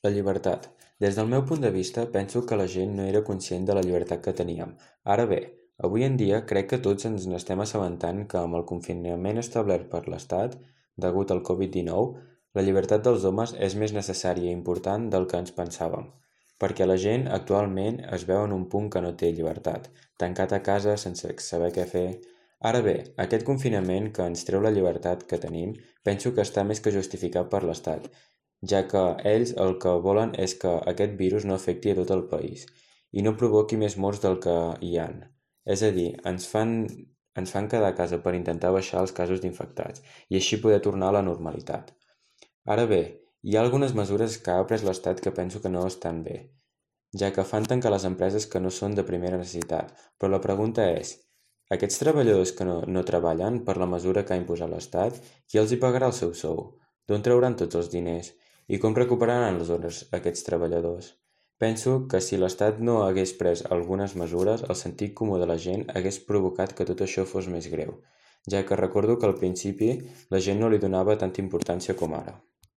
La llibertat. Des del meu punt de vista, penso que la gent no era conscient de la llibertat que teníem. Ara bé, avui en dia crec que tots ens n'estem assabentant que amb el confinament establert per l'Estat, degut al Covid-19, la llibertat dels homes és més necessària i important del que ens pensàvem. Perquè la gent actualment es veu en un punt que no té llibertat, tancat a casa sense saber què fer. Ara bé, aquest confinament que ens treu la llibertat que tenim, penso que està més que justificat per l'Estat, ja que ells el que volen és que aquest virus no afecti a tot el país i no provoqui més morts del que hi han. És a dir, ens fan quedar a casa per intentar baixar els casos d'infectats i així poder tornar a la normalitat. Ara bé, hi ha algunes mesures que ha pres l'Estat que penso que no estan bé, ja que fan tancar les empreses que no són de primera necessitat, però la pregunta és, aquests treballadors que no treballen per la mesura que ha imposat l'Estat, qui els hi pagarà el seu sou? D'on trauran tots els diners? I com recuperaran les hores aquests treballadors? Penso que si l'Estat no hagués pres algunes mesures, el sentit comú de la gent hagués provocat que tot això fos més greu, ja que recordo que al principi la gent no li donava tanta importància com ara.